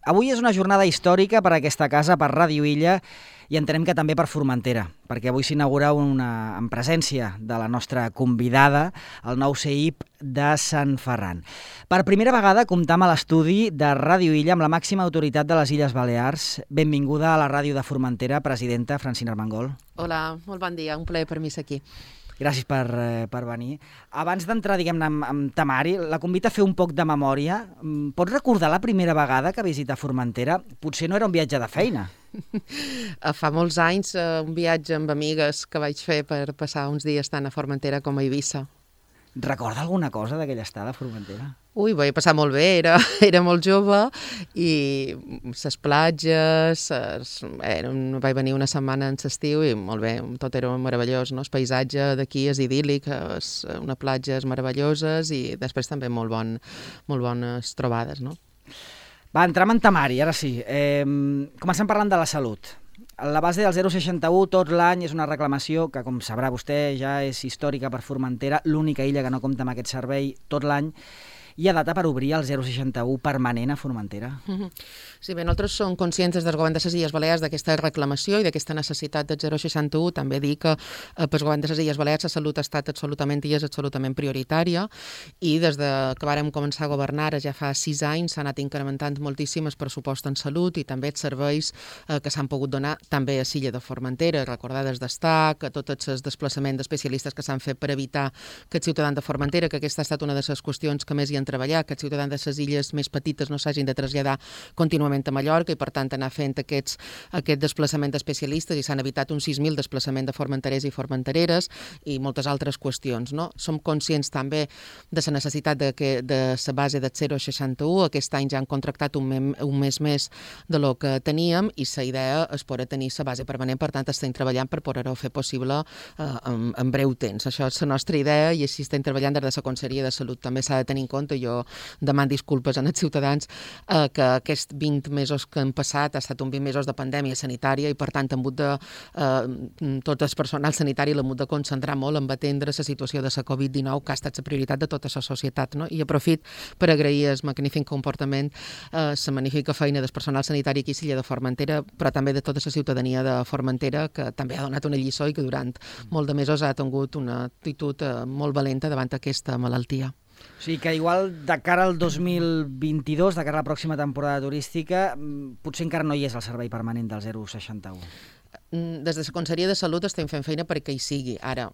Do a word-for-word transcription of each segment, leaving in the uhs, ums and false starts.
Avui és una jornada històrica per a aquesta casa, per Ràdio Illa, i entenem que també per Formentera, perquè avui s'inaugura una, en presència de la nostra convidada, el nou C I P de Sant Ferran. Per primera vegada comptam a l'estudi de Ràdio Illa amb la màxima autoritat de les Illes Balears. Benvinguda a la ràdio de Formentera, presidenta Francina Armengol. Hola, molt bon dia, un plaer per mi ser aquí. Gràcies per, eh, per venir. Abans d'entrar, diguem-ne, amb, amb temari, la convida a fer un poc de memòria. Pots recordar la primera vegada que visita Formentera? Potser no era un viatge de feina. Fa molts anys, un viatge amb amigues que vaig fer per passar uns dies tant a Formentera com a Eivissa. Recorda alguna cosa d'aquella estada a Formentera? Ui, vaig passar molt bé, era, era molt jove i les platges, es, era, vaig venir una setmana en l'estiu i molt bé, tot era meravellós, no? El paisatge d'aquí és idíl·lic, és una platges meravelloses i després també molt, bon, molt bones trobades, no? Va, entrem en temari, ara sí. Eh, comencem parlant de la salut. La base del zero seixanta u tot l'any és una reclamació que, com sabrà vostè, ja és històrica per Formentera, l'única illa que no compta amb aquest servei tot l'any. Hi ha data per obrir el zero seixanta u permanent a Formentera? Mm-hmm. Sí, bé, nosaltres som conscients des del govern de les Illes Balears d'aquesta reclamació i d'aquesta necessitat del zero seixanta u. També dir que eh, pel govern de les Illes Balears la salut ha estat absolutament i és absolutament prioritària i des de que vàrem començar a governar ja fa sis anys s'ha anat incrementant moltíssim el pressupost en salut i també els serveis eh, que s'han pogut donar també a l'illa de Formentera, recordar des d'Estac, tots els desplaçaments d'especialistes que s'han fet per evitar que els ciutadans de Formentera, que aquesta ha estat una de les qüestions que més hi han treballat, que els ciutadans de les illes més petites no s'hagin de traslladar contínuament a Mallorca i per tant anar fent aquests, aquest desplaçament d'especialistes i s'han evitat uns sis mil desplaçaments de formenterers i formentereres i moltes altres qüestions, no? Som conscients també de la necessitat de, que, de la base del zero seixanta u. Aquest any ja han contractat un, mem, un mes més de lo que teníem i la idea és poder tenir la base permanent, per tant estem treballant per poder-ho fer possible eh, en, en breu temps. Això és la nostra idea i així estem treballant des de la Conselleria de Salut. També s'ha de tenir en compte, jo demano disculpes als ciutadans eh, que aquests vint mesos que han passat ha estat un vint mesos de pandèmia sanitària i per tant hem hagut de, eh, tot el personal sanitari l'hem hagut de concentrar molt en atendre la situació de la covid dinou que ha estat la prioritat de tota la societat, no? I aprofit per agrair el magnífic comportament, eh, la magnífica feina del personal sanitari aquí a l'illa de Formentera, però també de tota la ciutadania de Formentera que també ha donat una lliçó i que durant molt de mesos ha tingut una actitud eh, molt valenta davant aquesta malaltia. O sigui que igual de cara al dos mil vint-i-dos, de cara a la pròxima temporada turística, potser encara no hi és el servei permanent del zero seixanta u. Des de la Conselleria de Salut estem fent feina perquè hi sigui. Ara,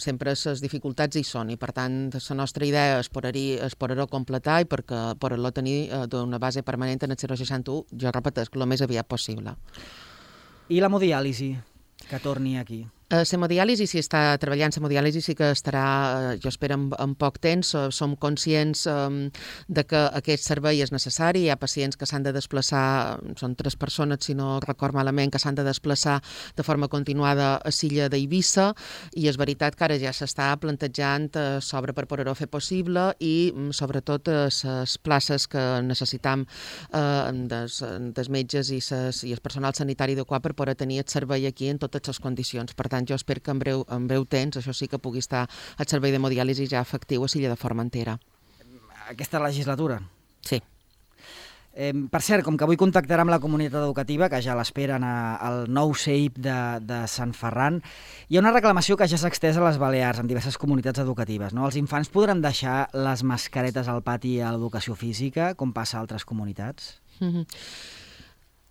sempre les dificultats hi són i per tant la nostra idea és poder-ho completar i perquè poder-lo tenir d'una base permanent en el zero seixanta u, jo repeteixo, el més aviat possible. I l'hemodiàlisi, que torni aquí? La hemodiàlisi, si està treballant la hemodiàlisi, sí que estarà, jo espero, en, en poc temps. Som conscients um, de que aquest servei és necessari. Hi ha pacients que s'han de desplaçar, són tres persones, si no record malament, que s'han de desplaçar de forma continuada a l'illa d'Eivissa i és veritat que ara ja s'està plantejant uh, sobre per poder-ho fer possible i um, sobretot les uh, places que necessitam uh, des, des metges i, ses, i el personal sanitari adequat per poder tenir el servei aquí en totes les condicions. Per tant, jo espero que en breu, en breu temps això sí que pugui estar el servei d'hemodiàlisi ja efectiu a l'illa de Formentera. Aquesta legislatura? Sí. Eh, per cert, com que avui contactarà amb la comunitat educativa, que ja l'esperen al nou C I P de, de Sant Ferran, hi ha una reclamació que ja s'ha extès a les Balears, en diverses comunitats educatives, no? Els infants podran deixar les mascaretes al pati a l'educació física, com passa a altres comunitats? Mm-hmm.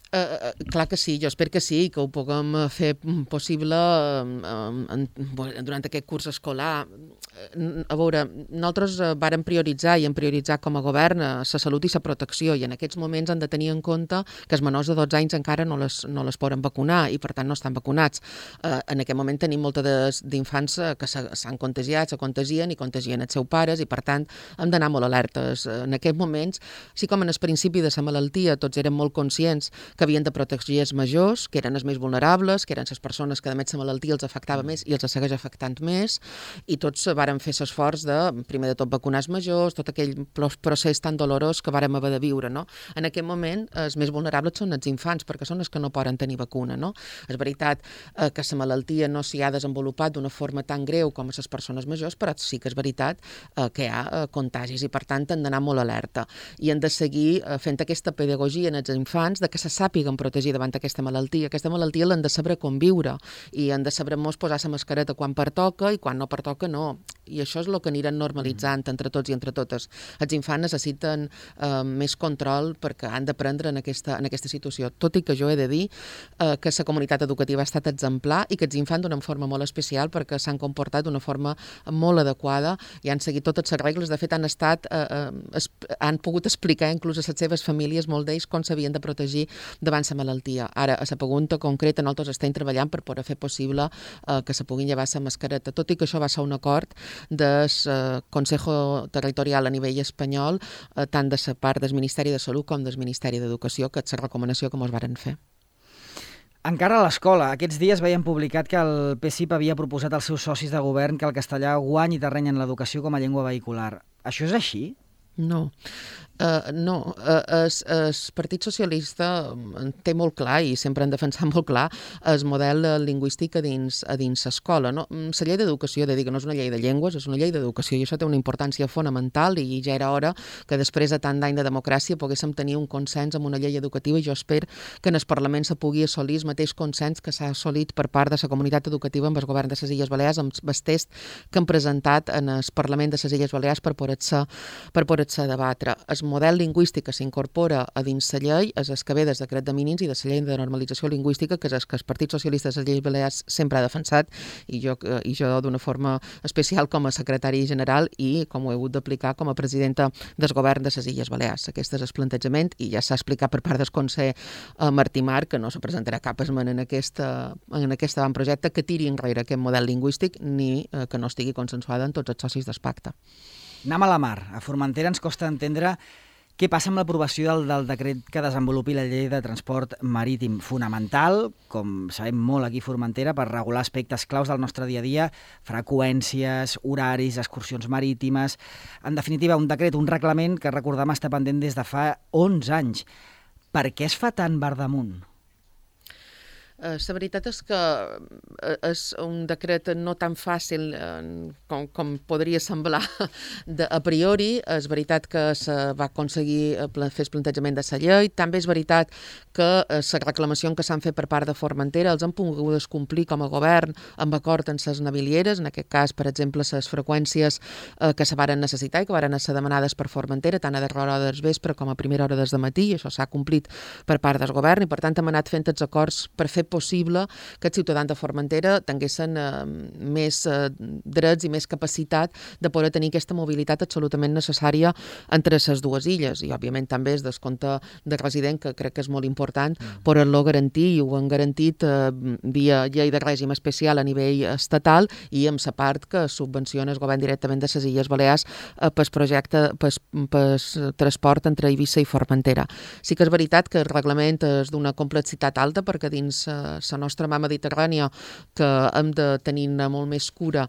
Uh, clar que sí, jo espero que sí, que ho puguem fer possible um, en, durant aquest curs escolar. A veure, nosaltres vàrem prioritzar i hem prioritzat com a govern la salut i la protecció i en aquests moments han de tenir en compte que els menors de dotze anys encara no les, no les poden vacunar i per tant no estan vacunats. Uh, en aquest moment tenim moltes d'infants que s'han contagiat, se contagien i contagien els seus pares i per tant hem d'anar molt alertes. En aquests moments, així com en el principi de la malaltia tots érem molt conscients que havien de protegir els majors, que eren els més vulnerables, que eren les persones que a més la malaltia els afectava més i els segueix afectant més, i tots vàrem fer l'esforç de, primer de tot, vacunar els majors, tot aquell procés tan dolorós que vàrem haver de viure, no? En aquest moment, els més vulnerables són els infants, perquè són els que no poden tenir vacuna, no? És veritat eh, que la malaltia no s'hi ha desenvolupat d'una forma tan greu com a les persones majors, però sí que és veritat eh, que hi ha eh, contagis i, per tant, han d'anar molt alerta. I han de seguir eh, fent aquesta pedagogia en els infants de que se sàpiguen protegir davant aquesta malaltia. Aquesta malaltia l'han de saber conviure i han de saber molts posar la mascareta quan pertoca i quan no pertoca no. I això és el que aniran normalitzant entre tots i entre totes. Els infants necessiten eh, més control perquè han d'aprendre en aquesta, en aquesta situació. Tot i que jo he de dir eh, que la comunitat educativa ha estat exemplar i que els infants d'una forma molt especial perquè s'han comportat d'una forma molt adequada i han seguit totes les regles. De fet, han estat, eh, eh, han pogut explicar inclús a les seves famílies, molt d'ells, com s'havien de protegir davant la malaltia. Ara, a la pregunta concreta, nosaltres estem treballant per poder fer possible eh, que se puguin llevar la mascareta. Tot i que això va ser un acord del eh, Consejo Territorial a nivell espanyol, eh, tant de la part del Ministeri de Salut com del Ministeri d'Educació, que és la recomanació que ens varen fer. Encara a l'escola, aquests dies veiem publicat que el P S I P havia proposat als seus socis de govern que el castellà guanyi terreny en l'educació com a llengua vehicular. Això és així? No. Uh, no, uh, el, el Partit Socialista té molt clar i sempre han defensat molt clar el model lingüístic a dins a dins l'escola. No? La llei d'educació, de dir que no és una llei de llengües, és una llei d'educació i això té una importància fonamental i ja era hora que després de tant d'any de democràcia poguéssim tenir un consens amb una llei educativa i jo espero que en el Parlament se pugui assolir el mateix consens que s'ha assolit per part de la comunitat educativa amb el govern de les Illes Balears, amb el test que han presentat en el Parlament de les Illes Balears per poder-se per poder-se debatre. El model lingüístic que s'incorpora a dins la llei és el que ve del decret de mínims i de la llei de normalització lingüística, que és el que el Partit Socialista de les Illes Balears sempre ha defensat i jo, i jo d'una forma especial com a secretari general i com ho he hagut d'aplicar com a presidenta del govern de les Illes Balears. Aquest és el plantejament i ja s'ha explicat per part del Consell eh, Martí Marc que no se presentarà cap esmena en, aquesta, en aquest avantprojecte que tiri enrere aquest model lingüístic ni eh, que no estigui consensuada en tots els socis del pacte. Anem a la mar. A Formentera ens costa entendre què passa amb l'aprovació del, del decret que desenvolupi la llei de transport marítim, fonamental, com sabem molt aquí a Formentera, per regular aspectes claus del nostre dia a dia, freqüències, horaris, excursions marítimes. En definitiva, un decret, un reglament que recordem està pendent des de fa onze anys. Per què es fa tan verdamunt? Uh, la veritat és que uh, és un decret no tan fàcil uh, com, com podria semblar de, a priori. És veritat que se va aconseguir uh, fer el plantejament de la llei. També és veritat que uh, la reclamació que s'han fet per part de Formentera els han pogut complir com a govern amb acord amb les navilieres, en aquest cas, per exemple, les freqüències uh, que se varen necessitar i que varen ser demanades per Formentera, tant a darrera hora del vespre com a primera hora des de matí, i això s'ha complit per part del govern i, per tant, hem anat fent els acords per fer possible que els ciutadans de Formentera tinguessin eh, més eh, drets i més capacitat de poder tenir aquesta mobilitat absolutament necessària entre les dues illes. I, òbviament, també es descompte de resident, que crec que és molt important, mm. poder-lo garantir, i ho han garantit eh, via llei de règim especial a nivell estatal i amb la part que subvenciona el govern directament de les Illes Balears eh, pel projecte, pel, pel transport entre Eivissa i Formentera. Sí que és veritat que el reglament és d'una complexitat alta perquè dins eh, la nostra mà mediterrània, que hem de tenir molt més cura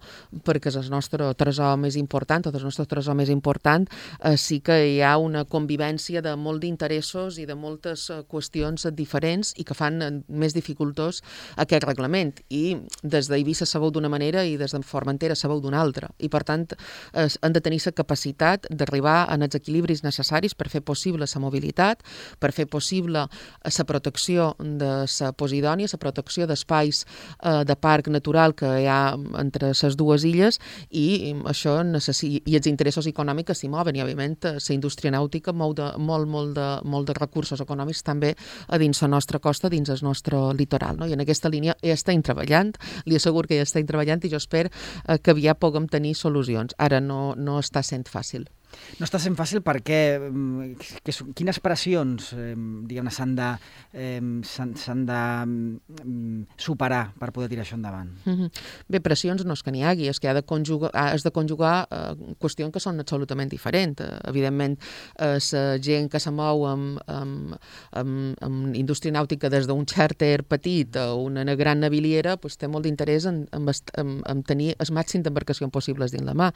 perquè és el nostre tresor més important, tot el nostre tresor més important, eh, sí que hi ha una convivència de molt d'interessos i de moltes eh, qüestions diferents i que fan eh, més dificultós aquest reglament. I des d'Eivissa se veu d'una manera i des de Formentera se veu d'una altra. I, per tant, eh, han de tenir la capacitat d'arribar a els equilibris necessaris per fer possible la mobilitat, per fer possible la protecció de la Posidònia, la protecció d'espais eh, de parc natural que hi ha entre les dues illes i això necessi... i els interessos econòmics s'hi mouen i, òbviament, la indústria nàutica mou de, molt, molt, de, molt de recursos econòmics també a dins la nostra costa, dins el nostre litoral. No? I en aquesta línia ja estem treballant, li asseguro que ja estem treballant i jo espero eh, que aviat puguem tenir solucions. Ara no, no està sent fàcil. No està sent fàcil perquè que, quines pressions eh, diguem-ne s'han de, eh, s'han de eh, superar per poder tirar això endavant? Mm-hmm. Bé, pressions no és que n'hi hagi, és que ha de conjugar, has de conjugar eh, qüestions que són absolutament diferents. Eh, evidentment, eh, la gent que se mou amb, amb, amb, amb indústria nàutica des d'un xàrter petit a una gran naviliera pues, té molt d'interès en, en, en, en tenir el màxim d'embarcacions possibles dins la mà.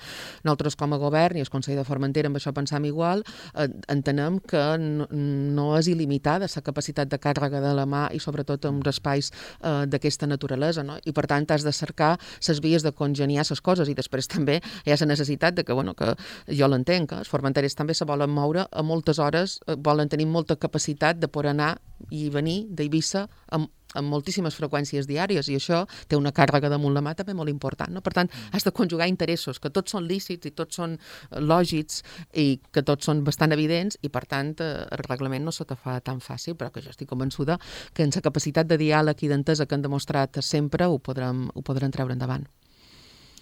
Nosaltres, com a govern i el Consell de Formentera, amb això pensam igual, eh, entenem que no, no és il·limitada la capacitat de càrrega de la mà i sobretot en espais eh, d'aquesta naturalesa, no? I per tant has de cercar les vies de congeniar les coses i després també hi ha la necessitat de que, bueno, que jo l'entenc, eh? Els formenteres també se volen moure a moltes hores, eh, volen tenir molta capacitat de poder anar i venir d'Eivissa amb amb moltíssimes freqüències diàries i això té una càrrega damunt la mà també molt important, no? Per tant, has de conjugar interessos que tots són lícits i tots són lògics i que tots són bastant evidents i per tant el reglament no se te fa tan fàcil, però que jo estic convençuda que en la capacitat de diàleg i d'entesa que han demostrat sempre ho podrem, ho podrem treure endavant.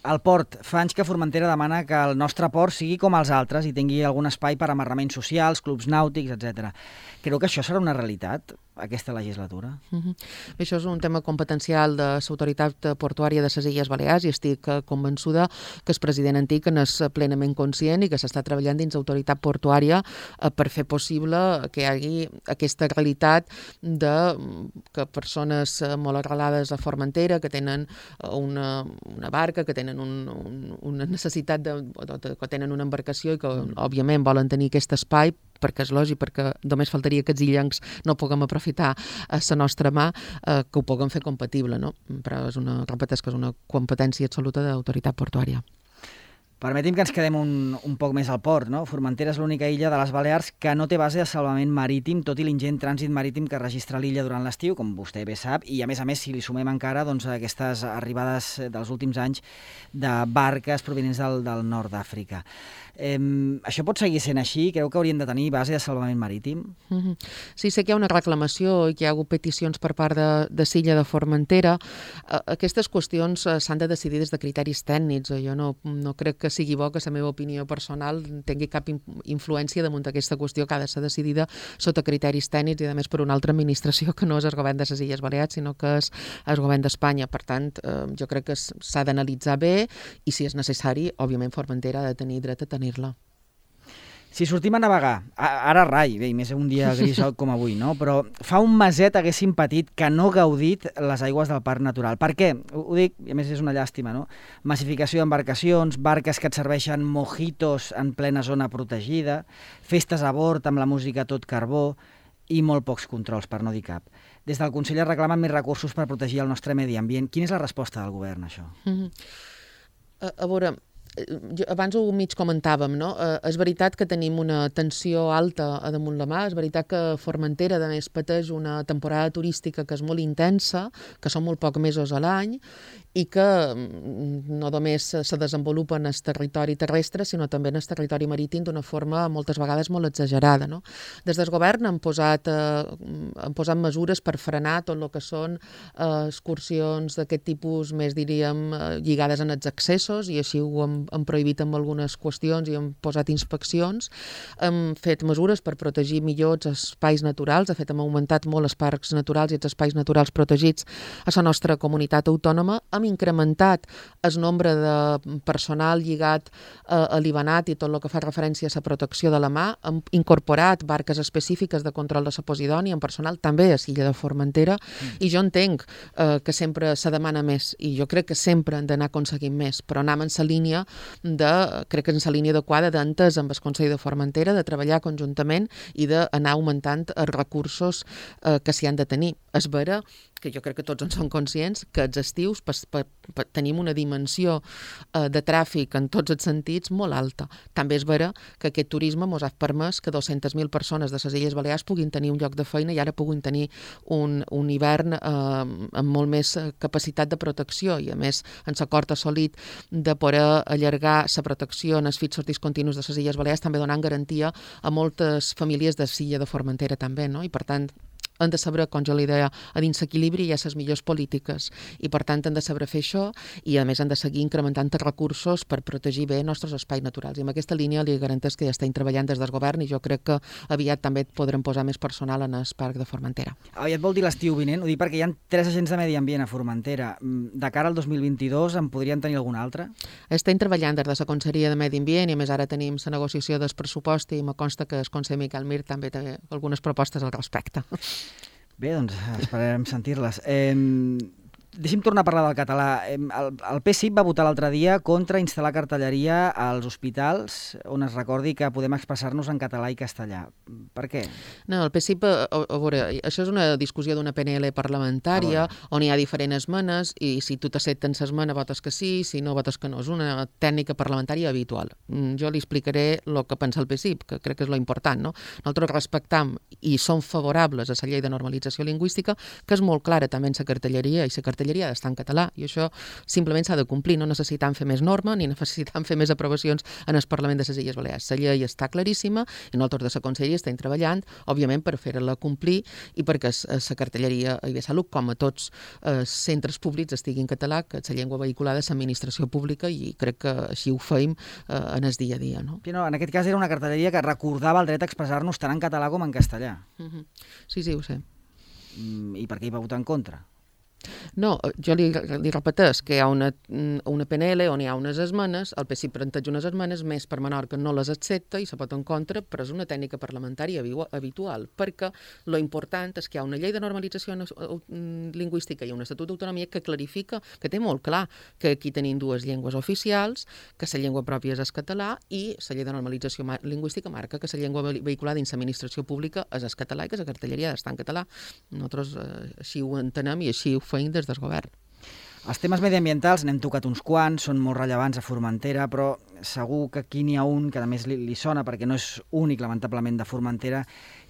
El port. Fa anys que Formentera demana que el nostre port sigui com els altres i tingui algun espai per a amarraments socials, clubs nàutics, etcètera. Creu que això serà una realitat aquesta legislatura? Uh-huh. Això és un tema competencial de l'autoritat portuària de les Illes Balears i estic convençuda que el president antic n'és plenament conscient i que s'està treballant dins l'autoritat portuària per fer possible que hi hagi aquesta realitat de que persones molt arrelades a Formentera, que tenen una, una barca, que tenen un, un, una necessitat de, de, que tenen una embarcació i que, òbviament, volen tenir aquest espai perquè és lògic, perquè només faltaria que els illencs no puguem aprofitar a la nostra mà, eh, que ho puguem fer compatible, no? Però és una, repeteix que és una competència absoluta de l'autoritat portuària. Permeti'm que ens quedem un, un poc més al port, no? Formentera és l'única illa de les Balears que no té base de salvament marítim, tot i l'ingent trànsit marítim que registra l'illa durant l'estiu, com vostè bé sap, i a més a més, si li sumem encara doncs, aquestes arribades dels últims anys de barques provinents del, del nord d'Àfrica. Eh, això pot seguir sent així? Creu que haurien de tenir base de salvament marítim? Mm-hmm. Sí, sé que hi ha una reclamació i que hi ha hagut peticions per part de, de l'illa de Formentera. Uh, aquestes qüestions uh, s'han de decidir des de criteris tècnics. Jo no, no crec que sigui bo que la meva opinió personal tingui cap influència damunt d'aquesta qüestió que ha de ser decidida sota criteris tècnics i, a més, per una altra administració que no és el govern de les Illes Balears, sinó que és el govern d'Espanya. Per tant, uh, jo crec que s'ha d'analitzar bé i, si és necessari, òbviament, Formentera ha de tenir dret a tenir la. Si sortim a navegar, ara rai, bé, més un dia gris com avui, no? Però fa un meset haguéssim patit que no gaudit les aigües del Parc Natural. Per què? Ho dic, i a més és una llàstima, no? Massificació d'embarcacions, barques que et serveixen mojitos en plena zona protegida, festes a bord amb la música a tot carbó i molt pocs controls, per no dir cap. Des del Consell es reclamen més recursos per protegir el nostre medi ambient. Quina és la resposta del govern a això? Mm-hmm. A, a veure... Jo, abans ho mig comentàvem, no? Eh, és veritat que tenim una tensió alta a damunt la mà, és veritat que Formentera, a més, pateix una temporada turística que és molt intensa, que són molt pocs mesos a l'any, i que no només se desenvolupa en el territori terrestre, sinó també en el territori marítim d'una forma moltes vegades molt exagerada, no? Des del govern han posat, eh, han posat mesures per frenar tot el que són eh, excursions d'aquest tipus, més diríem, eh, lligades en els accessos, i així ho hem han prohibit amb algunes qüestions i han posat inspeccions, hem fet mesures per protegir millor els espais naturals, de fet hem augmentat molt els parcs naturals i els espais naturals protegits a la nostra comunitat autònoma, hem incrementat el nombre de personal lligat eh, a l'Ibanat i tot el que fa referència a la protecció de la mà, hem incorporat barques específiques de control de la Posidònia, en personal també a l'illa de Formentera, mm. i jo entenc eh, que sempre se demana més, i jo crec que sempre hem d'anar aconseguint més, però anem en la línia de, crec que en la línia adequada d'entès amb el Consell de Formentera, de treballar conjuntament i d'anar augmentant els recursos eh, que s'hi han de tenir. És vera que jo crec que tots en som conscients que els estius per, per, per, tenim una dimensió eh, de tràfic en tots els sentits molt alta. També és vera que aquest turisme ens ha permès que dues-centes mil persones de les Illes Balears puguin tenir un lloc de feina i ara puguin tenir un, un hivern eh, amb molt més capacitat de protecció i, a més, en l'acord assolit de poder allargar la protecció en els fits sortits continus de les Illes Balears, també donant garantia a moltes famílies de l'illa de Formentera també, no? I per tant han de saber, com jo li deia, a dins l'equilibri hi ha les millors polítiques i per tant han de saber fer això i a més han de seguir incrementant els recursos per protegir bé els nostres espais naturals i en aquesta línia li garanteix que ja estem treballant des del govern i jo crec que aviat també podrem posar més personal en el Parc de Formentera. Aviat vol dir l'estiu vinent? Ho dic perquè hi ha tres agents de medi ambient a Formentera. De cara al dos mil vint-i-dos en podrien tenir algun altre? Estem treballant des de la Conselleria de Medi Ambient i a més ara tenim la negociació del pressupost i me consta que el conseller Miquel Mir també té algunes propostes al respecte. Bé, doncs esperarem sentir-les. Eh, deixi'm tornar a parlar del català. El, el P S I V va votar l'altre dia contra instal·lar cartelleria als hospitals on es recordi que podem expressar-nos en català i castellà. Per què? No, el P S I V, a, a veure, això és una discussió d'una P N L parlamentària on hi ha diferents esmenes i si tu t'accepten l'esmena votes que sí, si no votes que no. És una tècnica parlamentària habitual. Jo li explicaré el que pensa el P S I V, que crec que és lo important, no? Nosaltres respectam i som favorables a la llei de normalització lingüística, que és molt clara també en la cartelleria i la cartelleria ha d'estar en català i això simplement s'ha de complir, no necessitam fer més norma ni necessitam fer més aprovacions en el Parlament de les Illes Balears. La llei està claríssima i nosaltres de la Conselleria estem treballant, òbviament, per fer-la complir i perquè la cartelleria i de salut, com a tots els centres públics, estigui en català, que la llengua vehiculada és l'administració pública i crec que així ho feim en el dia a dia. No? No, en aquest cas era una cartelleria que recordava el dret a expressar-nos tant en català com en castellà. Uh-huh. Sí, sí, ho sé. I per què hi va votar en contra? No, jo li, li repeteix que hi ha una, una P N L on hi ha unes esmenes, el P S I V planteja unes esmenes, més per menor que no les accepta i se pot en contra, però és una tècnica parlamentària habitual, perquè lo important és que hi ha una llei de normalització lingüística i un estatut d'autonomia que clarifica, que té molt clar que aquí tenim dues llengües oficials, que la llengua pròpia és el català i la llei de normalització lingüística marca que la llengua vehiculada dins l'administració pública és el català i que la cartelleria ha d'estar en català. Nosaltres eh, així ho entenem i així ho feim des del govern. Els temes mediambientals n'hem tocat uns quants, són molt rellevants a Formentera, però segur que aquí n'hi ha un que a més li, li sona, perquè no és únic, lamentablement, de Formentera,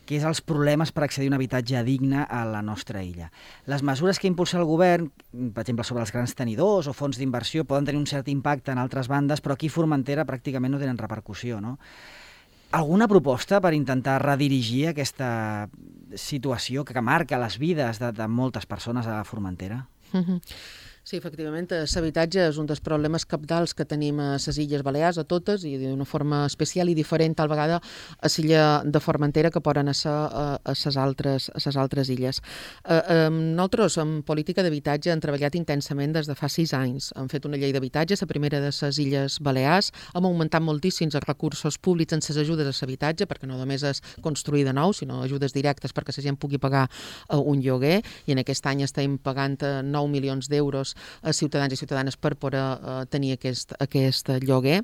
que és els problemes per accedir a un habitatge digne a la nostra illa. Les mesures que impulsa el govern, per exemple, sobre els grans tenidors o fons d'inversió, poden tenir un cert impacte en altres bandes, però aquí a Formentera pràcticament no tenen repercussió, no? Alguna proposta per intentar redirigir aquesta situació que marca les vides de, de moltes persones a Formentera? Mm-hmm. Sí, efectivament, l'habitatge és un dels problemes cabdals que tenim a les Illes Balears, a totes, i d'una forma especial i diferent, tal vegada, a l'illa de Formentera, que poden ser a les altres, a les altres illes. Eh, eh, nosaltres, en política d'habitatge, hem treballat intensament des de fa sis anys. Hem fet una llei d'habitatge, la primera de les Illes Balears, hem augmentat moltíssims els recursos públics en les ajudes a l'habitatge, perquè no només és construir de nou, sinó ajudes directes perquè la gent pugui pagar eh, un lloguer, i en aquest any estem pagant eh, nou milions d'euros a ciutadans i ciutadanes per poder uh, tenir aquest, aquest lloguer.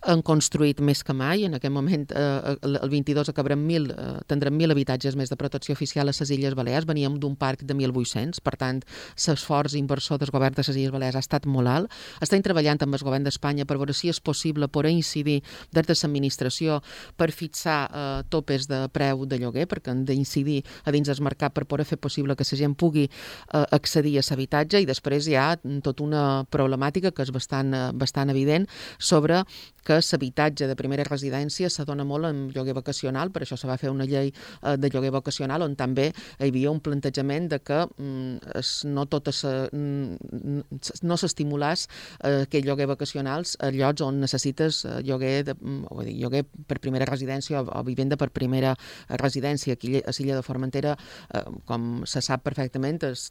Han construït més que mai. En aquest moment, uh, el vint-i-dos acabarem mil, uh, tindrem mil habitatges més de protecció oficial a les Illes Balears. Veníem d'un parc de mil vuit-cents, per tant, l'esforç inversor del govern de les Illes Balears ha estat molt alt. Estem treballant amb el govern d'Espanya per veure si és possible poder incidir des de l'administració per fixar uh, topes de preu de lloguer, perquè han d'incidir a dins del mercat per poder fer possible que la gent pugui uh, accedir a l'habitatge, i després hi ha tota una problemàtica que és bastant, bastant evident sobre que l'habitatge de primera residència s'adona molt en lloguer vacacional, per això se va fer una llei de lloguer vacacional on també hi havia un plantejament de que mm, no tot es, mm, no s'estimulàs eh, aquest lloguer vacacionals a llocs on necessites lloguer, de, o dir, lloguer per primera residència o, o vivenda per primera residència. Aquí a l'illa de Formentera, eh, com se sap perfectament, és,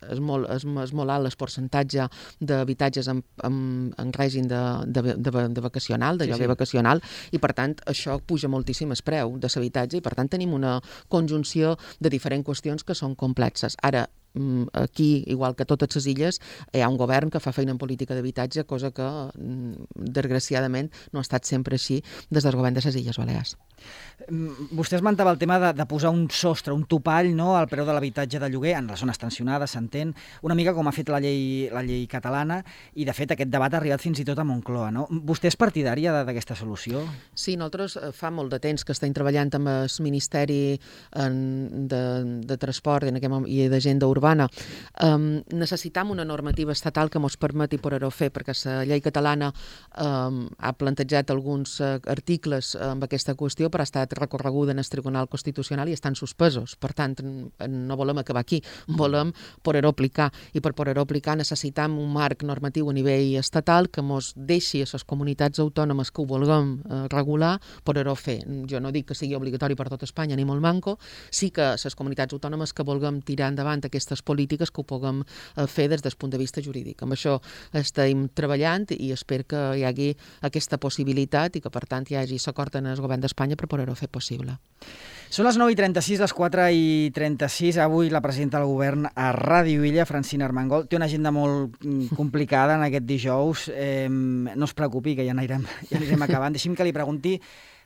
és, molt, és, és molt alt el percentatge d'habitatges en, en, en règim de, de, de, de vacacional, de lloguer sí, sí. vacacional, i per tant això puja moltíssim el preu de l'habitatge i per tant tenim una conjunció de diferents qüestions que són complexes. Ara, aquí, igual que a totes les illes, hi ha un govern que fa feina en política d'habitatge, cosa que, desgraciadament, no ha estat sempre així des del govern de les Illes Balears. Vostè esmentava el tema de, de posar un sostre, un topall, no?, al preu de l'habitatge de lloguer en les zones tensionades, s'entén, una mica com ha fet la llei, la llei catalana, i de fet aquest debat ha arribat fins i tot a Moncloa, no? Vostè és partidària d'aquesta solució? Sí, nosaltres fa molt de temps que estem treballant amb el Ministeri de, de Transport i d'Agenda Urbana urbana. Um, necessitam una normativa estatal que ens permeti poder-ho fer, perquè la llei catalana um, ha plantejat alguns uh, articles amb aquesta qüestió, però ha estat recorreguda en el Tribunal Constitucional i estan suspesos. Per tant, no volem acabar aquí, volem poder-ho aplicar, i per poder-ho aplicar necessitam un marc normatiu a nivell estatal que ens deixi a les comunitats autònomes que ho vulguem uh, regular, poder-ho fer. Jo no dic que sigui obligatori per tot Espanya, ni molt manco, sí que les comunitats autònomes que vulguem tirar endavant aquestes polítiques que ho puguem uh, fer des del punt de vista jurídic. Amb això estem treballant i espero que hi hagi aquesta possibilitat i que, per tant, hi hagi l'acord en el govern d'Espanya per poder-ho fer possible. Són les nou i trenta-sis, les quatre i trenta-sis. Avui la presidenta del govern a Ràdio Illa, Francina Armengol, té una agenda molt complicada en aquest dijous. Eh, no es preocupi, que ja anirem, ja anirem acabant. Deixi'm que li pregunti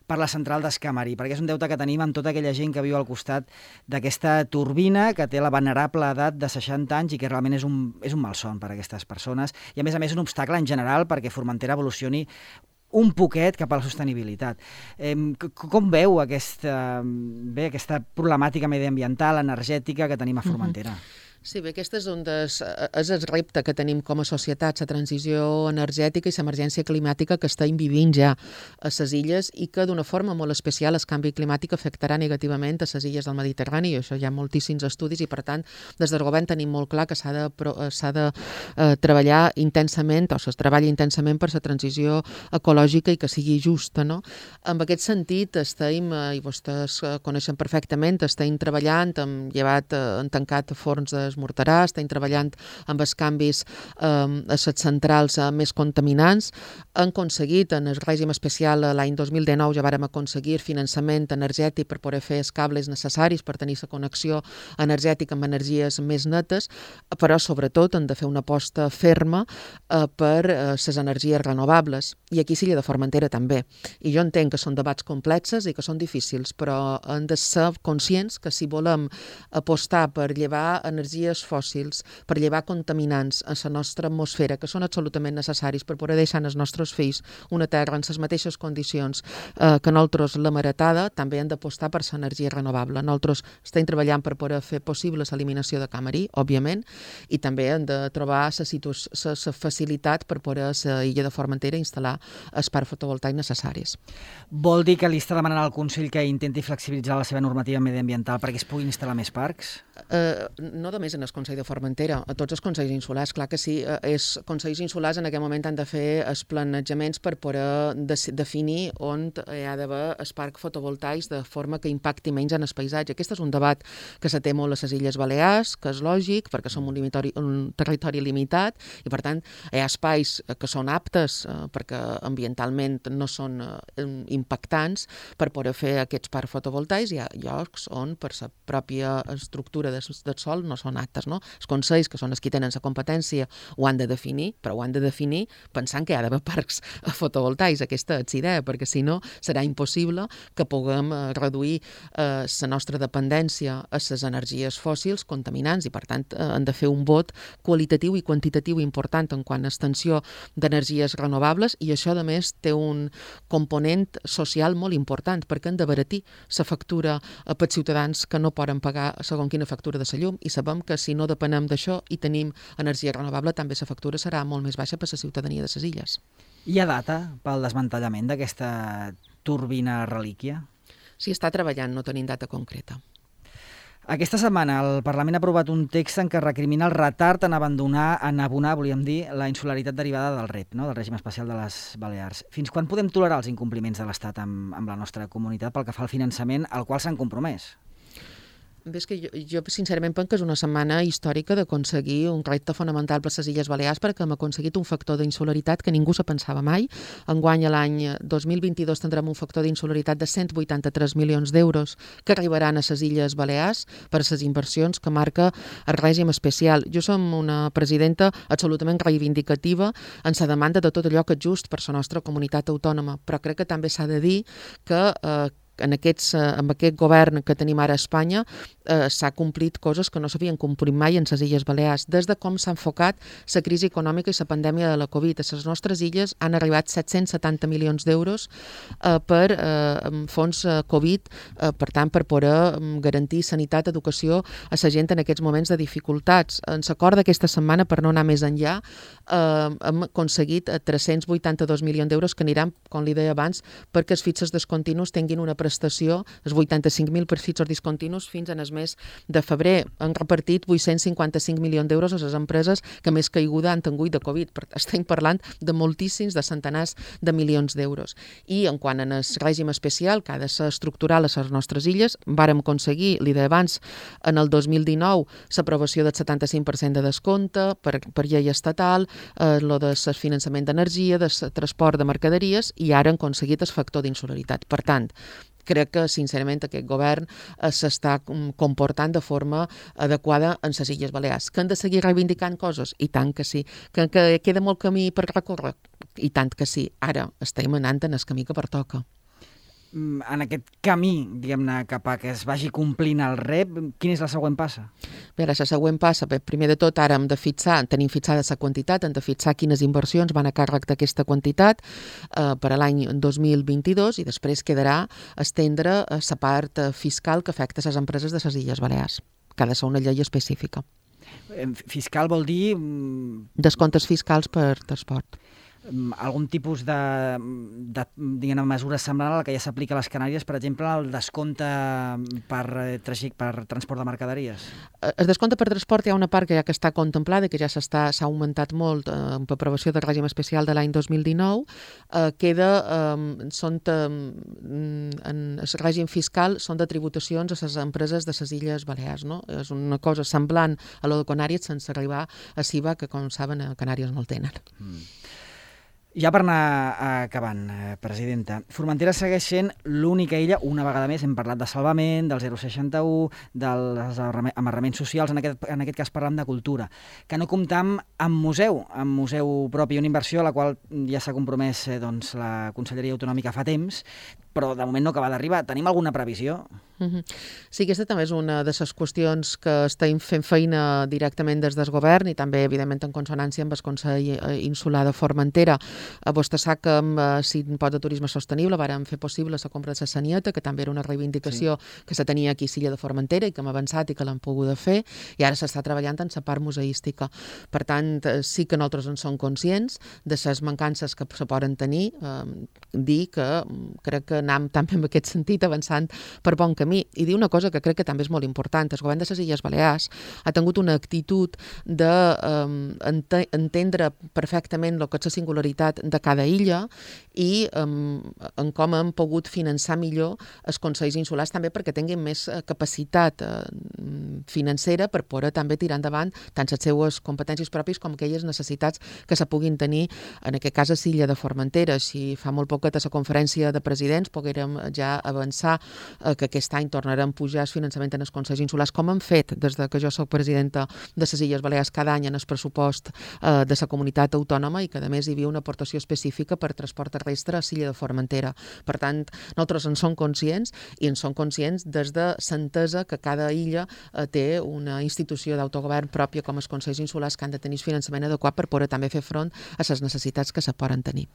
per la central d'Escamari, perquè és un deute que tenim amb tota aquella gent que viu al costat d'aquesta turbina, que té la venerable edat de seixanta anys i que realment és un, és un malson per a aquestes persones, i a més a més un obstacle en general perquè Formentera evolucioni un poquet cap a la sostenibilitat. Eh, com veu aquesta, bé, aquesta problemàtica mediambiental, energètica que tenim a Formentera? Uh-huh. Sí, bé, aquest és, un des, és el repte que tenim com a societat, la transició energètica i l'emergència climàtica que estem vivint ja a les illes i que d'una forma molt especial el canvi climàtic afectarà negativament a les illes del Mediterrani, i això hi ha moltíssims estudis i, per tant, des del govern tenim molt clar que s'ha de, s'ha de eh, treballar intensament, o es treballa intensament per la transició ecològica i que sigui justa, no? En aquest sentit, estem, eh, i vostès coneixen perfectament, estem treballant, hem llevat, eh, hem tancat forns de Morterà, estem treballant amb els canvis eh, a les centrals eh, més contaminants. Han aconseguit, en el règim especial l'any dos mil dinou, ja vàrem aconseguir finançament energètic per poder fer els cables necessaris per tenir la connexió energètica amb energies més netes, però sobretot han de fer una aposta ferma eh, per eh, les energies renovables. I aquí s'Illa de Formentera també. I jo entenc que són debats complexes i que són difícils, però hem de ser conscients que si volem apostar per llevar energies fòssils, per llevar contaminants a la nostra atmosfera, que són absolutament necessaris per poder deixar als nostres fills una terra en les mateixes condicions eh, que nosaltres l'hem heretada, també hem d'apostar per l'energia renovable. Nosaltres estem treballant per poder fer possible l'eliminació de Camarí, òbviament, i també hem de trobar la facilitat per poder a l'illa de Formentera instal·lar els parcs fotovoltaics necessaris. Vol dir que li està demanant al Consell que intenti flexibilitzar la seva normativa mediambiental perquè es puguin instal·lar més parcs? Eh, no només en el Consell de Formentera, a tots els consells insulars, clar que sí, eh, els consells insulars en aquest moment han de fer els planejaments per poder de, definir on hi ha d'haver els parcs fotovoltaics de forma que impacti menys en el paisatge. Aquest és un debat que se té molt a les Illes Balears, que és lògic, perquè som un, limitori, un territori limitat i, per tant, hi ha espais que són aptes eh, perquè ambientalment no són eh, impactants per poder fer aquests parcs fotovoltaics. Hi ha llocs on, per la pròpia estructura del, del sol, no són aptes, no? Els consells, que són els que tenen la competència, ho han de definir, però ho han de definir pensant que hi ha d'haver parcs fotovoltaics. Aquesta és l'idea, perquè si no serà impossible que puguem eh, reduir la eh, nostra dependència a les energies fòssils contaminants i, per tant, eh, han de fer un vot qualitatiu i quantitatiu important en quant a extensió d'energies renovables, i això, a més, té un component social molt important, perquè han d'abaratir la factura eh, pels ciutadans que no poden pagar segons quina factura de la llum, i sabem que si no depenem d'això i tenim energia renovable, també la factura serà molt més baixa per la ciutadania de les illes. Hi ha data pel desmantellament d'aquesta turbina relíquia? S'hi està treballant, no tenim data concreta. Aquesta setmana el Parlament ha aprovat un text en què recrimina el retard en abandonar, en abonar, volíem dir, la insularitat derivada del R E P, no? Del règim especial de les Balears. Fins quan podem tolerar els incompliments de l'Estat amb, amb la nostra comunitat pel que fa al finançament al qual s'han compromès? Bé, és que jo, jo sincerament penso que és una setmana històrica d'aconseguir un repte fonamental per les Illes Balears, perquè hem aconseguit un factor d'insularitat que ningú se pensava mai. Enguany, l'any dos mil vint-i-dos, tindrem un factor d'insularitat de cent vuitanta-tres milions d'euros que arribaran a les Illes Balears per les inversions que marca el règim especial. Jo som una presidenta absolutament reivindicativa en la demanda de tot allò que és just per la nostra comunitat autònoma, però crec que també s'ha de dir que eh, en aquests, amb aquest govern que tenim ara a Espanya eh, s'ha complit coses que no s'havien complit mai en les Illes Balears. Des de com s'ha enfocat la crisi econòmica i la pandèmia de la Covid. A les nostres illes han arribat set-cents setanta milions d'euros eh, per eh, fons eh, Covid, eh, per tant, per poder garantir sanitat, educació a la gent en aquests moments de dificultats. En l'acord d'aquesta setmana, per no anar més enllà, eh, hem aconseguit tres-cents vuitanta-dos milions d'euros que aniran, com li deia abans, perquè els fitxes discontinus tinguin una prestació, els vuitanta-cinc mil per fitxos discontinus fins en el mes de febrer. Han repartit vuit-cents cinquanta-cinc milions d'euros a les empreses que més caiguda han tingut de Covid. Estem parlant de moltíssims, de centenars de milions d'euros. I en quant al règim especial, que ha de ser estructural a les nostres illes, vàrem aconseguir, li deia abans, en el dos mil dinou, l'aprovació del setanta-cinc per cent de descompte per, per llei estatal, eh, lo del finançament d'energia, del transport de mercaderies, i ara han aconseguit el factor d'insularitat. Per tant, crec que, sincerament, aquest govern eh, s'està comportant de forma adequada en les Illes Balears. Que han de seguir reivindicant coses? I tant que sí. Que, que queda molt camí per recórrer? I tant que sí. Ara estem anant en el camí que pertoca. En aquest camí, diguem-ne, cap a que es vagi complint el rep, quina és la següent passa? Bé, la següent passa, bé, primer de tot, ara hem de fixar, tenim fixada la quantitat, hem de fixar quines inversions van a càrrec d'aquesta quantitat eh, per a l'any dos mil vint-i-dos i després quedarà estendre la part fiscal que afecta les empreses de les Illes Balears, que ha de ser una llei específica. Fiscal vol dir... Descomptes fiscals per transport. Algun tipus de, de diguem, mesura semblant a la que ja s'aplica a les Canàries, per exemple, el descompte per, per transport de mercaderies? El descompte per transport hi ha una part que ja que està contemplada i que ja s'ha augmentat molt eh, amb aprovació del règim especial de l'any dos mil dinou. Eh, queda, eh, són de, en el règim fiscal són de tributacions a les empreses de les Illes Balears. No? És una cosa semblant a lo de Canàries sense arribar a C I V A, que com saben a Canàries no el tenen. Mm. Ja per anar acabant, presidenta, Formentera segueix sent l'única illa, una vegada més, hem parlat de salvament, del zero seixanta u, dels amarraments socials, en aquest, en aquest cas parlant de cultura, que no comptam amb museu, amb museu propi, una inversió a la qual ja s'ha compromès eh, doncs, la Conselleria Autonòmica fa temps, però de moment no acaba d'arribar. Tenim alguna previsió? Mm-hmm. Sí, aquesta també és una de les qüestions que estem fent feina directament des del govern i també, evidentment, en consonància amb el Consell Insular de Formentera. Vostè sap que amb l'impost de turisme sostenible vàrem fer possible la compra de la Sanieta, que també era una reivindicació sí. que se tenia aquí a l'illa de Formentera i que hem avançat i que l'hem pogut fer, i ara s'està treballant en la part museística. Per tant, sí que nosaltres en som conscients de les mancances que se poden tenir, eh, dir que crec que anem també en aquest sentit avançant per bon camí. I dir una cosa que crec que també és molt important. El govern de les Illes Balears ha tingut una actitud d'entendre um, perfectament el que és la singularitat de cada illa i um, en com hem pogut finançar millor els consells insulars també perquè tinguin més capacitat uh, financera per poder també tirar endavant tant les seues competències pròpies com aquelles necessitats que se puguin tenir, en aquest cas a l'illa de Formentera. Si fa molt poquet a la conferència de presidents poguérem ja avançar eh, que aquest any tornarem a pujar el finançament en els consells insulars, com hem fet des de que jo soc presidenta de les Illes Balears cada any en el pressupost eh, de la comunitat autònoma i que a més hi havia una aportació específica per transport terrestre a l'illa de Formentera. Per tant, nosaltres en som conscients i en som conscients des de l'entesa que cada illa eh, té una institució d'autogovern pròpia com els consells insulars que han de tenir finançament adequat per poder també fer front a les necessitats que se poden tenir.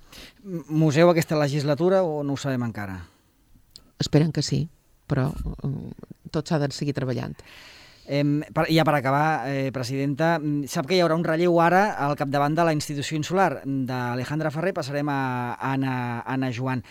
Museu aquesta legislatura o no ho sabem encara? Esperen que sí, però tot s'ha de seguir treballant. Eh, per, ja per acabar, eh, presidenta, sap que hi haurà un relleu ara al capdavant de la institució insular. D'Alejandra Ferrer passarem a Anna, Anna Joan.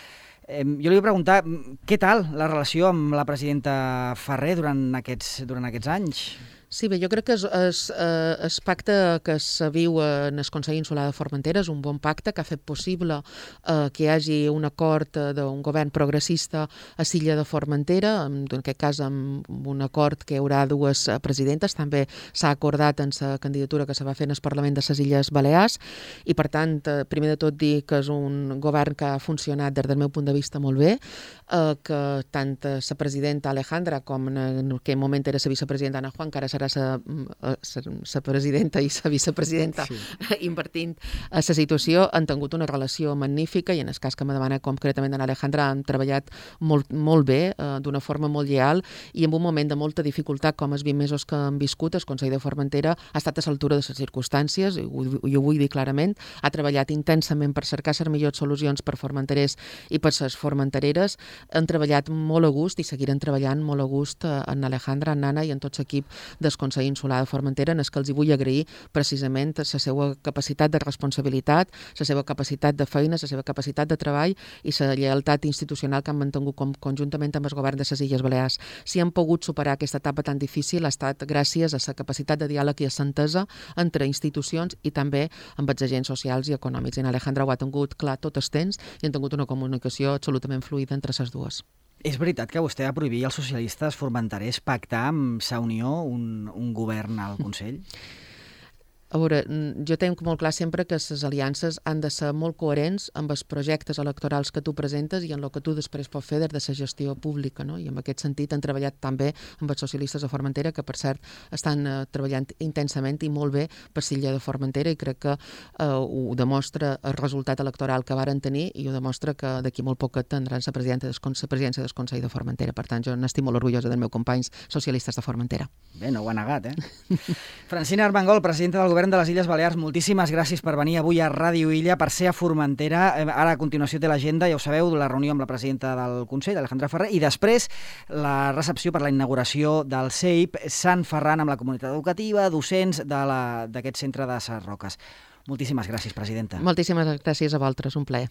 Eh, jo li vull preguntar, què tal la relació amb la presidenta Ferrer durant aquests, durant aquests anys? Sí, bé, jo crec que el pacte que se viu en el Consell Insular de Formentera és un bon pacte que ha fet possible eh, que hi hagi un acord d'un govern progressista a l'illa de Formentera, en aquest cas amb un acord que hi haurà dues presidentes, també s'ha acordat en la candidatura que se va fer en el Parlament de les Illes Balears i per tant, eh, primer de tot dir que és un govern que ha funcionat des del meu punt de vista molt bé, eh, que tant la presidenta Alejandra com en aquell moment era la vicepresidenta Ana Juan, que ara serà serà la presidenta i la vicepresidenta sí. invertint a la situació, han tingut una relació magnífica i en el cas que me demana concretament en Alejandra han treballat molt, molt bé, eh, d'una forma molt lleal i en un moment de molta dificultat com els vint mesos que han viscut, el Consell de Formentera ha estat a l'altura de les circumstàncies, i ho, i ho vull dir clarament, ha treballat intensament per cercar les millors solucions per formenterers i per les formentereres, han treballat molt a gust i seguiran treballant molt a gust en Alejandra, en Nana i en tot l'equip del Consell Insular de Formentera, en el que els hi vull agrair precisament la seva capacitat de responsabilitat, la seva capacitat de feina, la seva capacitat de treball i la lleialtat institucional que han mantingut com, conjuntament amb el govern de les Illes Balears. Si han pogut superar aquesta etapa tan difícil ha estat gràcies a la capacitat de diàleg i a l'entesa entre institucions i també amb els agents socials i econòmics. I en Alejandra ho ha tingut clar tot el temps i han tingut una comunicació absolutament fluida entre les dues. És veritat que vostè va prohibir als socialistes formenterers pactar amb Sa Unió un, un govern al Consell? A veure, jo tenc molt clar sempre que les aliances han de ser molt coherents amb els projectes electorals que tu presentes i en el que tu després pots fer des de la gestió pública, no? I en aquest sentit han treballat també amb els socialistes de Formentera, que per cert estan uh, treballant intensament i molt bé per l'illa de Formentera i crec que uh, ho demostra el resultat electoral que varen tenir i ho demostra que d'aquí molt poc tindran la presidència del Consell de Formentera. Per tant, jo n'estic molt orgullosa dels meus companys socialistes de Formentera. Bé, no ho ha negat, eh? Francina Armengol, presidenta del Govern de les Illes Balears, moltíssimes gràcies per venir avui a Ràdio Illa, per ser a Formentera. Ara, a continuació, té l'agenda, ja ho sabeu, la reunió amb la presidenta del Consell, Alejandra Ferrer, i després la recepció per la inauguració del C E I P Sant Ferran amb la comunitat educativa, docents d'aquest centre de Ses Roques. Moltíssimes gràcies, presidenta. Moltíssimes gràcies a vosaltres, un plaer.